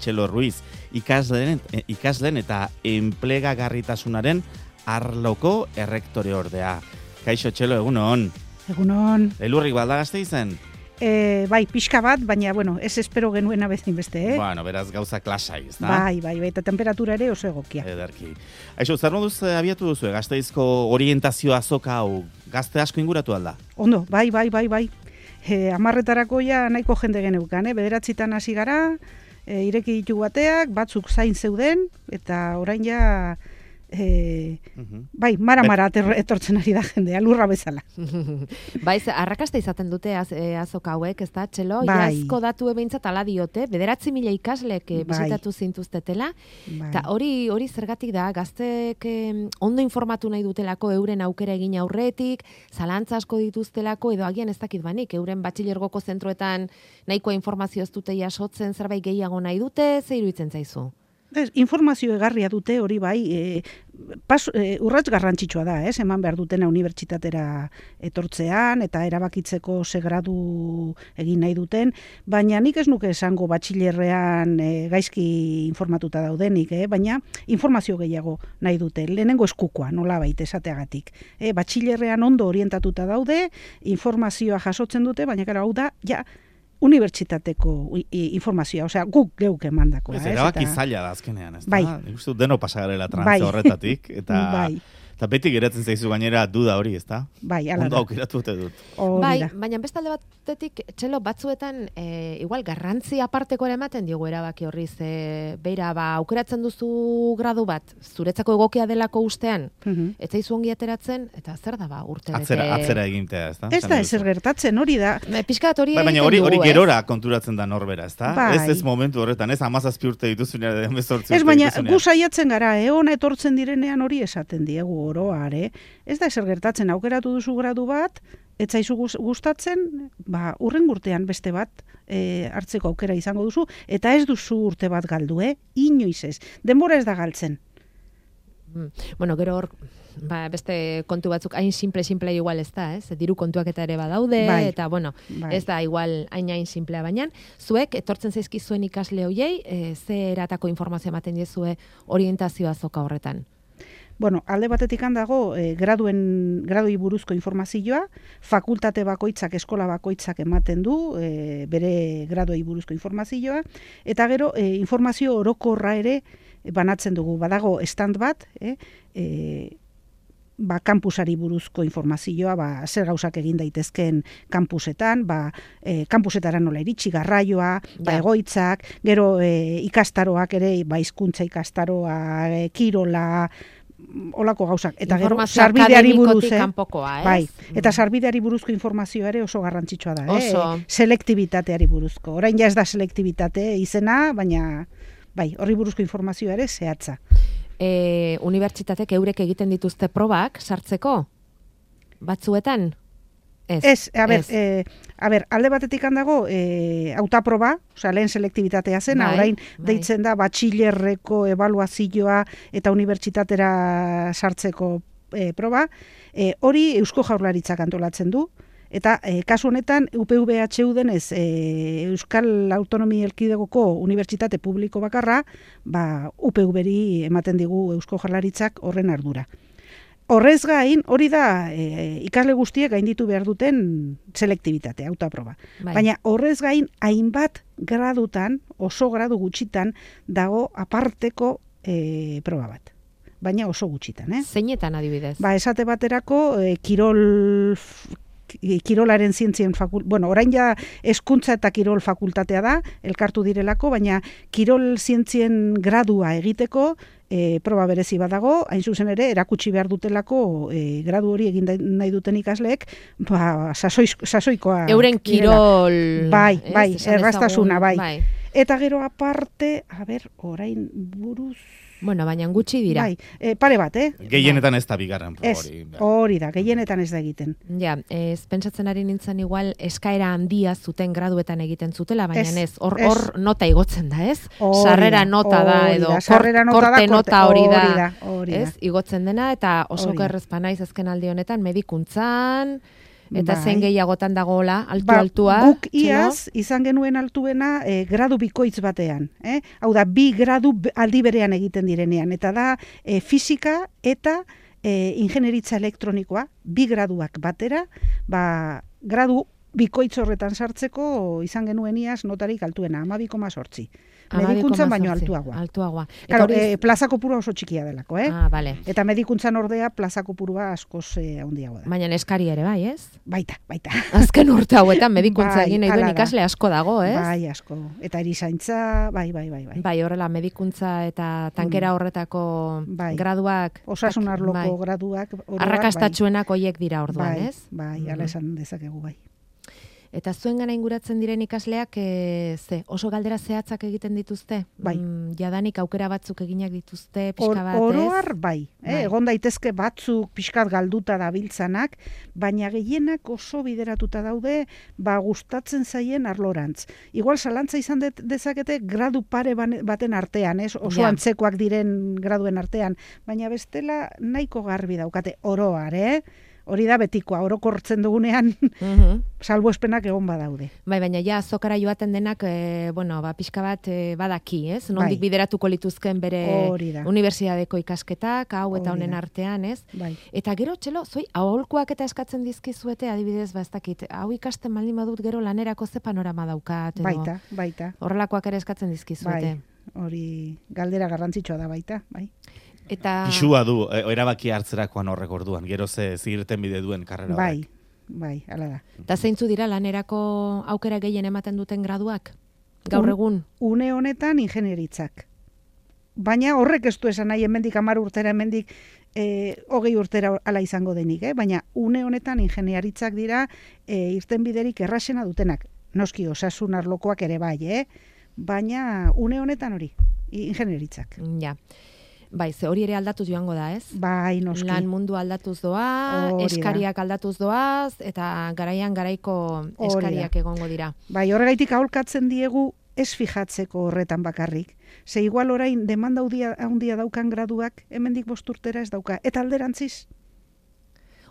Txelo Ruiz, ikasleen eta enplegagarritasunaren arloko errektore ordea. Kaixo Txelo, egunon. Egunon. Elurrik balda Gasteizen? Bai, pixka bat, baina, ez espero genuena bezain beste, Bueno, beraz gauza klasai, ez da? Bai, eta temperatura ere oso egokia. Ederki. Aixo, zer moduz abiatu duzu, Gasteizko orientazio azoka hau gazte asko inguratu alda? Ondo, bai. 10:00 ja nahiko jende geneukan, 9:00 hasi gara, ireki ditugu bateak, batzuk zain zeuden, eta orain ja... Bai, mara etortzen ari da jendea, lurra bezala. Bai, arrakasta izaten dute azoka hauek, ez da, Txelo? Bai. Iazko datu behintzat ala diote, 9.000 ikaslek bisitatu zintuztetela, eta hori zergatik da, gaztek ondo informatu nahi dutelako euren aukera egin aurretik, zalantza asko dituztelako, edo agian ez dakit banik, euren batxilergoko zentroetan nahikoa informazio ez dute jasotzen, zerbait gehiago nahi dute, ze iruditzen zaizu? Informazio egarria dute hori bai, urrats garrantzitsua da, eman behar dutena unibertsitatera etortzean, eta erabakitzeko ze gradu egin nahi duten, baina nik ez nuke esango batxilerrean gaizki informatuta daudenik, baina informazio gehiago nahi dute, lehenengo eskukoa, nola baita esateagatik. Batxilerrean ondo orientatuta daude, informazioa jasotzen dute, baina gara hau da, ja, unibertsitateko informazioa, osea, guk geuk emandakoa. Ez erabaki zaila da azkenean, ez da? Bai. Nik uste dut deno pasagarela trantze horretatik, eta beti geratzen zaizu gainera duda hori, ez da? Bai, ala da. Ondo aukeratu dut. Bai, baina bestalde batetik, Txelo, batzuetan, igual, garrantzi aparteko ere ematen diogu erabaki horri, beira, aukeratzen duzu gradu bat, zuretzako egokia delako ustean, ez zaizu ongi ateratzen, eta zer da urte bete... Atzera egintea, ez da? Ez da, ezer gertatzen, hori da. Piskat hori egiten dugu, baina hori gerora konturatzen da norbera, ez da? Bai. Ez momentu horretan, ez 17 urte dituzunean, 18 urte dituzunean. Ez, baina gu saiatzen gara, ona etortzen direnean hori esaten diegu oroare. Ez da ezer gertatzen, aukeratu duzu gradu bat, ez zaizu gustatzen, urren urtean beste bat hartzeko aukera izango duzu, eta ez duzu urte bat galdu, inoiz ez. Denbora ez da galtzen. Bueno, gero hor, beste kontu batzuk hain simple igual ez da, ez? Diru kontuak eta ere badaude, eta bueno, ez da igual hain simplea, baina zuek etortzen zaizkizuen ikasle hoiei, ze eratako informazio ematen diezue orientazioa azoka horretan? Bueno, alde batetik handago graduei buruzko informazioa, fakultate bakoitzak, eskola bakoitzak ematen du, bere graduei buruzko informazioa, eta gero informazio orokorra ere banatzen dugu. Badago stand bat, kampusari buruzko informazioa, zer gauzak egin daitezken kampusetan, kampusetara nola iritsi, garraioa, egoitzak, gero ikastaroak ere, hizkuntza ikastaroa, kirola, olako gauzak, eta gero sarbideari buruz, bai, eta sarbideari buruzko informazioa ere oso garrantzitsua da, selektibitateari buruzko. Orain ja ez da selektibitate izena, baina bai, horri buruzko informazioa ere zehatza. Unibertsitatek eurek egiten dituzte probak sartzeko? Batzuetan? Ez, alde batetik handago, hautaproba, lehen selektibitatea zen, orain deitzen da batxilerreko ebaluazioa eta unibertsitatera sartzeko proba, hori Eusko Jaurlaritzak antolatzen du, eta kasu honetan UPV-HU denez Euskal Autonomi Erkidegoko Unibertsitate Publiko bakarra, UPV-ri ematen digu Eusko Jaurlaritzak horren ardura. Horrez gain, hori da ikasle guztiek gainditu behar duten selektibitatea, hautaproba. Baina horrez gain, hainbat gradutan, oso gradu gutxitan, dago aparteko proba bat. Baina oso gutxitan, Zeinetan adibidez? Esate baterako, kirolaren zientzien orain ja hezkuntza eta kirol fakultatea da, elkartu direlako, baina kirol zientzien gradua egiteko, proba berezi badago, hain zuzen ere, erakutsi behar dutelako gradu hori egin nahi duten ikasleek, sasoikoa. Euren kirol... Bai, erraztasuna, bai. Eta gero aparte, orain buruz... Bueno, baina gutxi dira. Pare bat, Gehienetan ez da bigarren proba hori. Hori da, gehienetan ez da egiten. Ja, pentsatzen ari nintzen igual eskaera handia zuten graduetan egiten zutela, baina ez, hor nota igotzen da, ez? Sarrera nota da, edo korte nota hori da, ez? Igotzen dena, eta oso gerrezpa naiz azken aldi honetan, medikuntzan, Eta zein gehiagotan dagoela, altua. Guk iaz, izan genuen altuena gradu bikoitz batean. Hau da, 2 gradu aldi berean egiten direnean. Eta da, fisika eta ingenieritza elektronikoa, 2 graduak batera, gradu bikoitz horretan sartzeko izan genuen iaz notarik altuena, 12,8. Medikuntzan baino altuagoa. Claro, plaza kopurua oso txikia delako, Vale. Eta medikuntzan ordea plaza kopurua askoz handiagoa da. Baina eskari ere, bai, ez? Baita. Azken urte hauetan medikuntza egin nahi duen ikasle asko dago, ez? Bai, asko. Eta erizaintza, bai. Bai, horrela, medikuntza eta tankera horretako graduak. Osasun arloko graduak. Arrakastatxuenak hoiek dira orduan, ez? Bai, ala esan dezakegu, bai. Eta zuen gana inguratzen diren ikasleak oso galdera zehatzak egiten dituzte? Bai. Jadanik aukera batzuk eginak dituzte, pixka bat, Oroar, bai. Egon daitezke batzuk pixkat galduta dabiltzanak, baina gehienak oso bideratuta daude, gustatzen zaien arlorantz. Igual zalantza izan dezakete gradu pare baten artean, oso antzekoak diren graduen artean, baina bestela nahiko garbi daukate oroar, Hori da betikoa, orokortzen dugunean salbuespenak egon badaude. Bai, baina ja azokara joaten denak, pixka bat badaki, ez? Nondik bideratuko lituzken bere unibertsitateko ikasketak, hau eta honen artean, ez? Bai. Eta gero, txelo, aholkuak eta eskatzen dizkizuete, adibidez, ez dakit, hau ikasten baldin badut gero lanerako ze panorama daukat, edo? Baita. Horrelakoak ere eskatzen dizkizuete. Bai, hori galdera garrantzitsua da baita, bai. Eta pisua du, erabaki hartzerakoan horrek orduan, gero zirten bide duen karrera horrek. Bai, hala da. Eta zeintzu dira lanerako aukera gehien ematen duten graduak? Gaur egun? Une honetan ingenieritzak. Baina horrek ez du esan nahi, hemendik 10 urtera, hemendik 20 urtera ala izango denik, baina une honetan ingenieritzak dira irten biderik erraxena dutenak. Noski osasun arlokoak ere bai, baina une honetan hori, ingenieritzak. Ja. Bai, ze hori ere aldatuz joango da, ez? Bai, noski. Lan mundu aldatuz doa, eskariak aldatuz doaz, eta garaiko eskariak egongo dira. Bai, horregaitik aholkatzen diegu ez fijatzeko horretan bakarrik. Ze igual orain demanda handia daukan graduak, hemendik 5 urtera ez dauka. Eta alderantziz.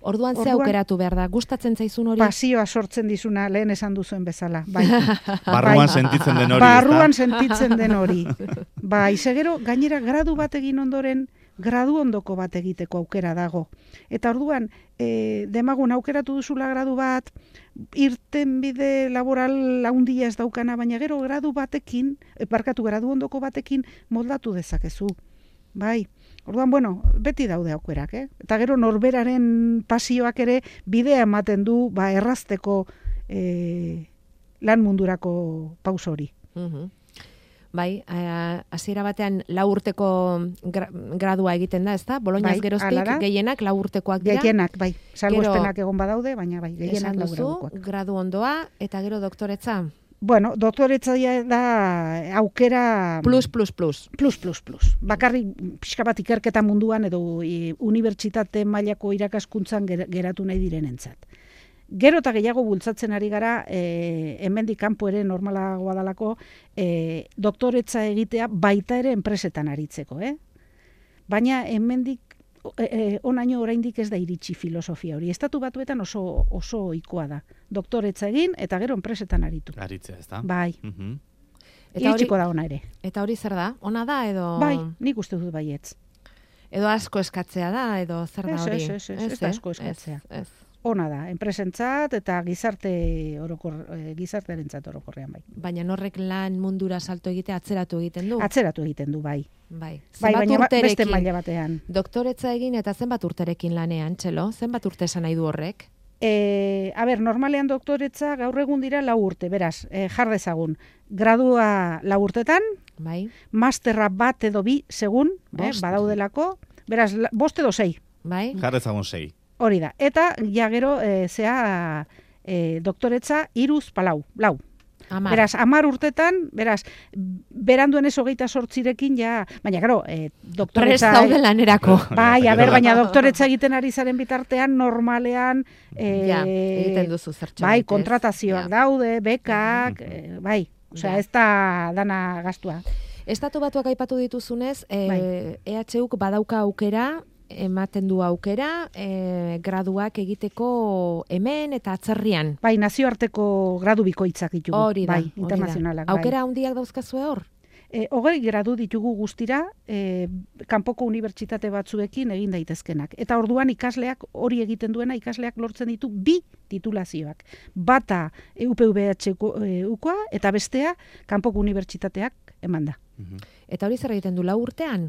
Orduan ze aukeratu behar da? Gustatzen zaizun hori? Pasioa sortzen dizuna, lehen esan duzuen bezala. Bai. Barruan sentitzen den hori. Barruan sentitzen den hori. Bai, segero, gainera gradu bat egin ondoren, gradu ondoko bat egiteko aukera dago. Eta orduan, demagun aukeratu duzula gradu bat, irten bide laboral handia ez daukana, baina gero gradu ondoko batekin moldatu dezakezu. Bai. Orduan, beti daude aukerak, Eta gero norberaren pasioak ere bidea ematen du, errazteko lan mundurako pauso hori. Bai, hasiera batean 4 urteko gradua egiten da, ezta? Boloñaz geroztik gehienak 4 urtekoak dira. Gehienak, bai. Salbuespenak egon badaude, baina bai, gehienak 4 urtekoak. Gradu ondoa eta gero doktoretza? Bueno, doktoretza da aukera... Plus. Bakarrik pixka bat ikerketa munduan edo unibertsitate mailako irakaskuntzan geratu nahi direnentzat. Gero eta gehiago bultzatzen ari gara, hemendik kanpo ere normalagoa dalako, doktoretza egitea baita ere enpresetan aritzeko, Baina hemendik onaino oraindik ez da iritsi filosofia hori. Estatu Batuetan oso ohikoa da. Doktoretza egin eta gero enpresetan aritu. Aritzea, ez da? Bai. Iritsiko da ona ere. Eta hori zer da? Ona da edo... Bai, nik uste dut baietz. Edo asko eskatzea da, edo zer da hori? Ez da asko eskatzea. Ona da, enpresentzat eta gizartearentzat orokorrean bai. Baina norrek lan mundura salto egitea atzeratu egiten du? Atzeratu egiten du, bai. Bai, baina beste maila batean. Doktoretza egin eta zenbat urterekin lanean, Txelo? Zenbat urte esan nahi du horrek? Normalean doktoretza gaur egun dira 4 urte, beraz, jar dezagun. Gradua 4 urtetan, bai. Masterra 1 edo 2 segun, badaudelako, beraz, 5 edo 6. Bai. Jar dezagun 6. Hori da. Eta ja gero doktoretza 3 lau. Beraz, 10 urtetan, beranduen ez 28rekin ja, baina gero, doktoretza... Prest daude lanerako. Bai, baina doktoretza egiten ari zaren bitartean, normalean... egiten duzu zertxo. Bai, kontratazioak daude, bekak, bai, osea, ez da dana gastua. Estatu Batuak aipatu dituzunez, EHUk badauka aukera, ematen du aukera graduak egiteko hemen eta atzerrian. Bai, nazioarteko gradu bikoitzak ditugu. Hori da, bai, internazionalak. Aukera handiak dauzkazue hor? 20 gradu ditugu guztira, kanpoko unibertsitate batzuekin egin daitezkenak. Eta orduan ikasleak hori egiten duena, ikasleak lortzen ditu 2 titulazioak. Bata UPVH-koa eta bestea kanpoko unibertsitateak emanda. Eta hori zer egiten du 4 urtean?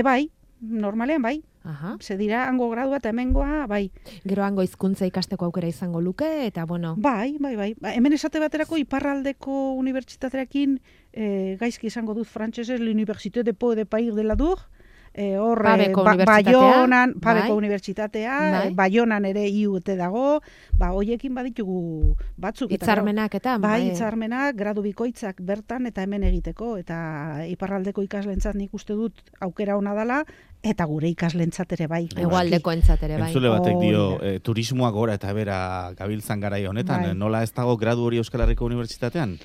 Bai, normalean bai. Aha. Ze dira hango gradua eta hemengoa, bai. Gero hango hizkuntza ikasteko aukera izango luke, eta bueno. Bai. Hemen esate baterako iparraldeko unibertsitatearekin gaizki izango dut frantsesez, l'Université de Pau de Pair de la Dour, Pabeko unibertsitatea, Baionan ere IUT dago, hoiekin baditugu batzuk. Hitzarmenak eta. Bai, hitzarmenak, gradu bikoitzak bertan eta hemen egiteko, eta iparraldeko ikaslentzat nik uste dut aukera ona dela, eta gure ikaslentzat ere bai. Hegoaldeko entzat ere bai. Entzule batek dio, turismoa gora eta bera gabiltzan garai honetan, nola ez dago gradu hori Euskal Herriko Unibertsitatean?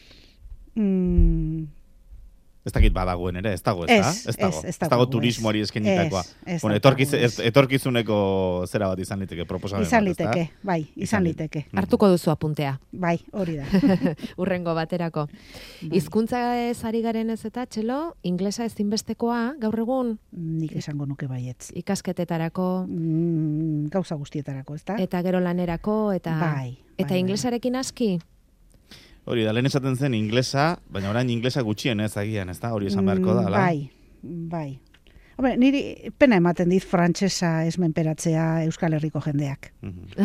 Ez dakit badagoen ere, ez dago, ez dago turismoari eskenitakoa. Etorkizuneko zera bat izan liteke, proposamen bat, izan liteke, bai, izan liteke. Hartuko duzu apuntea. Bai, hori da. Urrengo baterako. Hizkuntza ez ari garen ez eta, Txelo, inglesa ezinbestekoa, gaur egun? Nik esango nuke baietz. Ikasketetarako? Gauza guztietarako, ez da? Eta gero lanerako, eta... Bai. Eta inglesarekin aski? Hori da, lehen esaten zen inglesa, baina orain inglesa gutxien ez agian, ez da? Hori esan beharko da, ala? Bai. Hombre, niri pena ematen dit frantsesa ez menperatzea Euskal Herriko jendeak.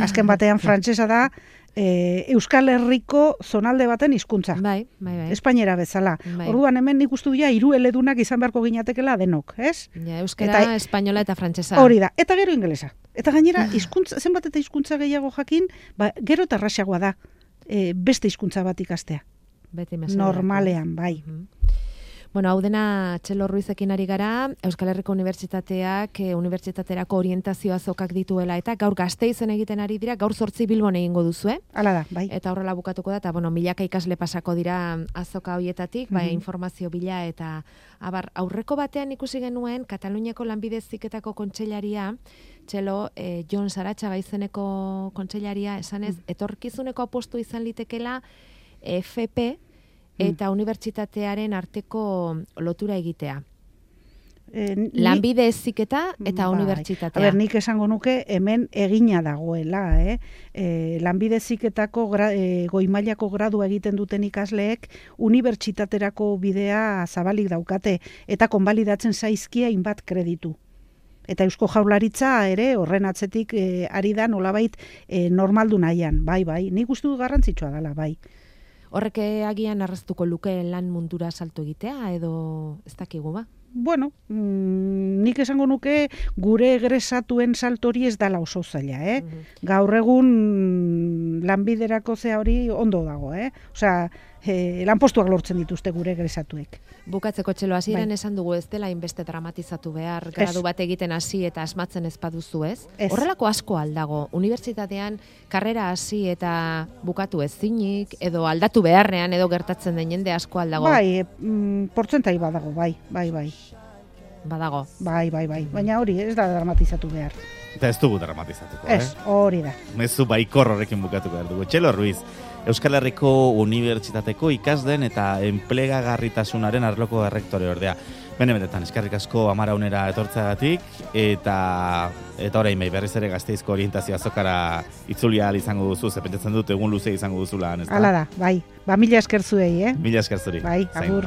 Azken batean frantsesa da Euskal Herriko zonalde baten hizkuntza. Bai. Espainera bezala. Orduan hemen nik uste dira 3 eledunak izan beharko ginatekela denok, ez? Ja, euskara, espainola eta frantsesa. Hori da, eta gero ingelesa. Eta gainera, zenbat eta hizkuntza gehiago jakin, gero eta errazagoa da. Beste hizkuntza bat ikastea. Normalean, bai. Bueno, hau dena Txelo Ruizekin ari gara, Euskal Herriko Unibertsitateak unibertsitaterako orientazio azokak dituela, eta gaur Gasteizen egiten ari dira, gaur 8 Bilbon egingo duzu, Hala da, bai. Eta horrela bukatuko da, eta milaka ikasle pasako dira azoka hoietatik, informazio bila, eta aurreko batean ikusi genuen, Kataluniako Lanbide Heziketako kontseilaria, Txelo, Jon Saratxaga izeneko kontseilaria, esanez, etorkizuneko apostu izan litekela FP eta unibertsitatearen arteko lotura egitea. Lanbide heziketa eta unibertsitatea. Nik esango nuke hemen egina dagoela. Lanbide heziketako goi mailako gradua egiten duten ikasleek unibertsitaterako bidea zabalik daukate eta konbalidatzen zaizkia hainbat kreditu. Eta Eusko Jaurlaritza ere horren atzetik ari da nolabait normaldu nahian. Bai, nik uste dut garrantzitsua dela, bai. Horrek agian arraztuko luke lan mundura salto egitea, edo ez dakigu ba? Bueno, nik esango nuke gure egresatuen saltori ez dala oso zaila, Gaur egun lanbiderako zea hori ondo dago, Osea, lanpostuak lortzen dituzte gure egresatuek. Bukatzeko Txelo, hasieran esan dugu ez dela inbeste dramatizatu behar, gradu bat egiten hasi eta asmatzen ez baduzu, ez? Horrelako asko aldago, unibertsitatean karrera hasi eta bukatu ezinik, edo aldatu beharrean, edo gertatzen den jende asko aldago. Bai, portzentai badago, bai. Badago. Bai. Baina hori ez da dramatizatu behar. Eta ez dugu dramatizatuko, Ez, hori da. Mezu baikor horrekin bukatuko behar dugu. Txelo Ruiz, Euskal Herriko Unibertsitateko ikasden eta enplegagarritasunaren arloko errektore ordea. Benetan, eskerrik asko Amara Unera etortzeagatik, eta orain berriz ere Gasteizko orientazio azokara itzulia izango duzu, pentsatzen dut egun luze izango duzula. Hala da, bai. Mila esker zuei, Mila esker zuri. Bai, agur.